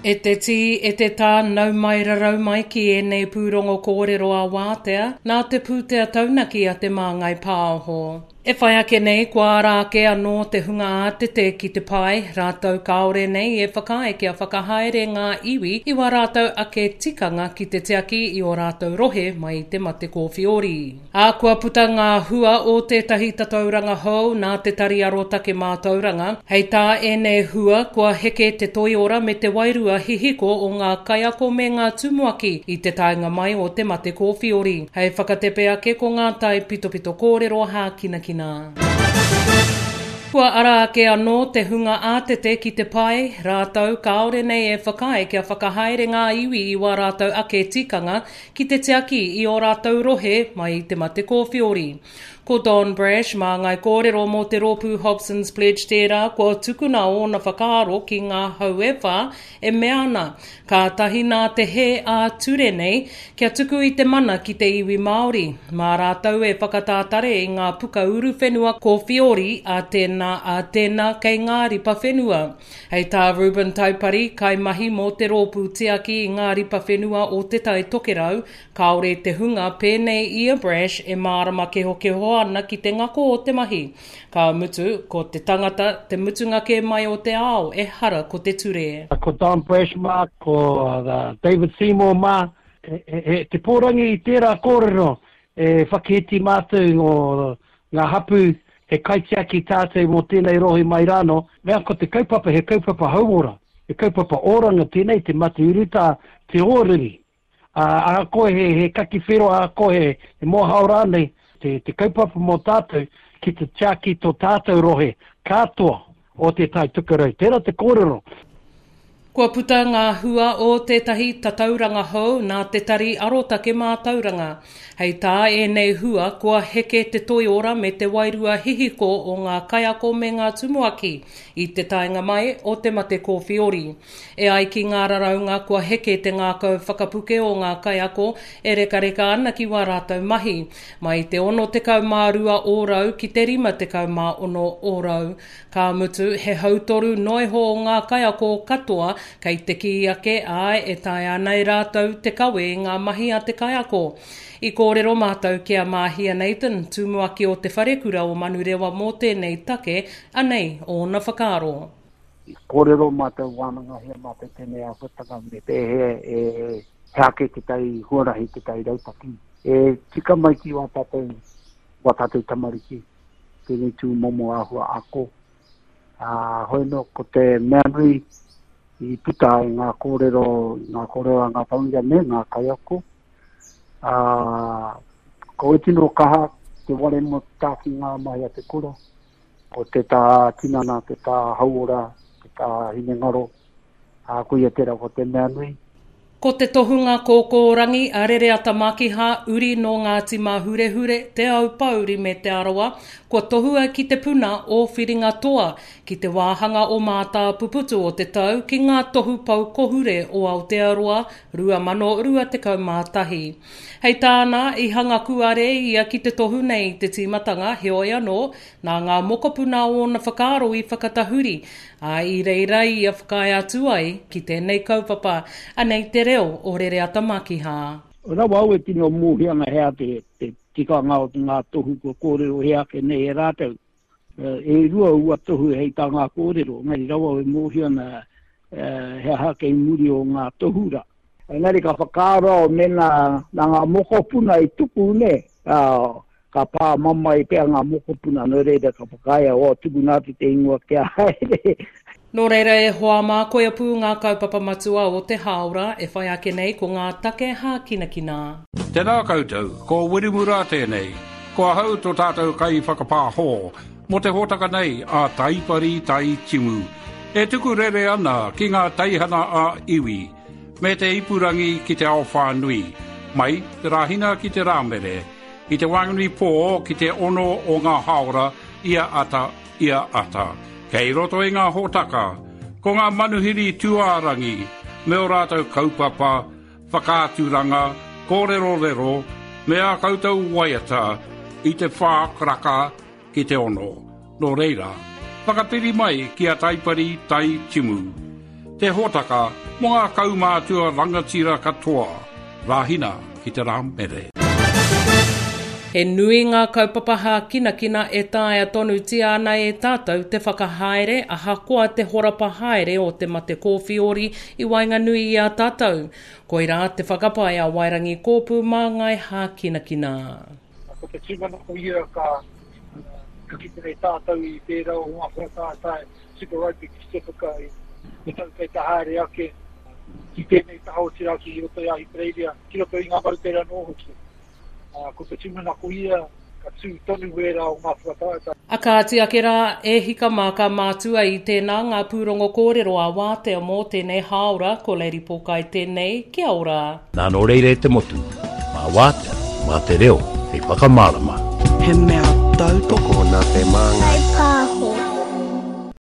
E te tī, e te tā, nau mai rarau mai ki ēnei pūrongo kōrero ā-wātea, nā te pūtea taunaki a Te Māngai Pāho. E whai ake nei, kua ara ake anō te hunga ātete ki te pae, rātou kāore nei e whakaae kia whakahaere ngā iwi i wā rātou ake tikanga ki te tiaki i ō rātou rohe mai i te mate kōwhiori. Ā, kua puta ngā hua o tētahi tatauranga hou nā Te Tari Arotake Mātauranga. Hei tā ēnei hua, kua heke te toiora me te wairua hihiko o ngā kaiako me ngā tumuaki i te taenga mai o te mate kōwhiori. Hei whakatepe ake ko ngā taipitopito kōrero hākinakina. Kua ara ake anō te hunga ātete ki te pae, rātou kāore nei e whakaae kia whakahaere ngā iwi i wā rātou ake tikanga ki te tiaki i ō rātou rohe mai i te mate kōwhiori. Ko Don Brash, māngai kōrero mō te rōpū Hobson's Pledge tērā kua tukuna ōna whakaaro ki ngā hau e whā e mea ana, kātahi nā te hē ā-ture nei kia tuku i te mana ki te iwi Māori, mā rātou e whakatātare i ngā puka uruwhenua kōwhiori a tēnā, a tēnā kei ngā ripa whenua. Hei tā Reuben Taupari, kaimahi mō te rōpū tiaki i ngā ripa whenua o Te Tai Tokerau, kāore te hunga pēnei i a Brash e mārama kehokeho ana ki te ngako o te mahi. Ka mutu, ko te tangata te mutunga kē mai o te ao, ehara ko te ture. Ko Don Brash mā, ko David Seymour mā, he te pōrangi i tērā kōrero e whakahiti mātou Ngā hapū, he kaitiaki tātou mō tēnei rohe mai rānō. Mea ko te kaupapa he kaupapa hauora, he kaupapa oranga tēnei, te mate urutā, te ōriri. Ā, ahakoa he, he kaki whero, ahakoa he, he mōhao rānei, te, te kaupapa mō tātou ki te tiaki tō tātou rohe katoa o Te Tai Tokerau. Tērā te kōrero. Kua puta ngā hua o tētahi tatauranga hou nā Te Tari Arotake Mātauranga. Hei tā ēnei hua, kua heke te toiora me te wairua hihiko o ngā kaiako me ngā tumuaki i te taenga mai o te mate kōwhiori. E ai ki ngā raraunga kua heke te ngākau whakapuke o ngā kaiako e rekareka ana ki wā rātou mahi, mai i te 62 ōrau ki te 56 ōrau. Ka mutu, he hautoru noa iho o ngā kaiako katoa kei te kī ake, āe, e taea ana e rātou te kawe i ngā mahi a te kaiako. I kōrero mātou ki a Māhia Nathan, tumuaki o Te Wharekura o Manurewa mō tēnei take, anei ōna whakaaro. I kōrero mātou, wānangahia mātou tēnei āhuatanga me pēhea e he ake tētahi huarahi, tētahi rautaki e tika mai ki wā tātou, wā tātou tamariki. tēnei tū momo āhua ako. Ā, hoi nō, ko te mea nui i puta i ngā kōrero, i ngā kōrero a ngā tauira me ngā kaiako, ā, ko e tino kaha te ware mō tā ki ngā mahi a te kura, ko te tā tinana, te tā hauora, te tā hinengaro, Ā, koia tērā ko te mea nui. Ko te tohunga kōkōrangi a Rereata Makiha, uri nō Ngāti Māhurehure, Te Aupōuri me Te Arawa, kua tohua ki te puna o Whiringa Toa, ki te wāhanga o Mātāpuputu o te tau ki ngā Tohu Pou Kohure o Aotearoa 2021. Hei tāna, i hanga kūare ia ki te tohu nei i te tīmatanga, heoi anō, nā ngā mokopuna ōna whakaaro i whakatahuri, Ā, i reira ia whakaae atu ai ki tēnei kaupapa, anei te reo o Rereata Makiha. Rawa au e tino mōhio ana he aha te tikanga o ngā tohu kua kōrerohia ake nei e rātou. E rua ua tohu hei tā ngā kōrero, engari rawa au e mōhio ana he aha kei muri o ngā tohu rā. Engari ka whakaaro au mēnā nā ngā mokopuna i tuku, nē, ka pā mamae pea ngā mokopuna, nō reira ka whakaae au, oh, tukuna atu te ingoa kia haere. Nō reira e hoa mā, koia pū ngā kaupapa matua o te hāora e whai ake nei ko ngā take hākinakina. Tēnā koutou, ko Wiremu Rā tēnei. Ko ahau tō tātou kaiwhakapāho mō te hōtaka nei a Taipari Tai Timu, e tuku rere ana ki ngā teihana ā-iwi me te ipurangi ki te ao whānui, mai te Rāhina ki te Rāmere, I te waenganui pō ki te ono o ngā hāora ia ata, ia ata. Kei roto i ngā hōtaka, ko ngā manuhiri tūārangi me ō rātou kaupapa, whakaaturanga, kōrerorero, me ā koutou waiata i te whā karaka ki te ono. Nō reira, whakapiri mai ki a Taipari Tai Timu. Te hōtaka. mō ngā kaumātua rangatira katoa, Rāhina ki te Rāmere. He nui ngā kaupapa hākinakina e taea tonutia ana e tātou te whakahaere ahakoa te horapa haere o te mate kōwhiori i waenganui i a tātou. Koirā te whakapae a Wairangi Kōpū Māngai Hākinakina. Ko te tūmanako ia ka ka kite nei tātou i tērā o ngā whakataetae Super Rugby ki Pasifika i te tau kei te haere ake ki tēnei taha otirā ki roto i Ahitereiria, ki roto i ngā moutere anō hoki. Ko te tūmanako ia ka tū tonu wērā o ngā whakataetae. A kāti ake rā, e hika mā ka mātua i tēnā ngā pūrongo kōrero a Wātea mō tēnei hāora, ko Lady Pōkai tēnei, kia ora. Nā nō reira e te motu, mā Wātea, mā te reo hei whakamārama. He mea tautoko. Tokona te māngai.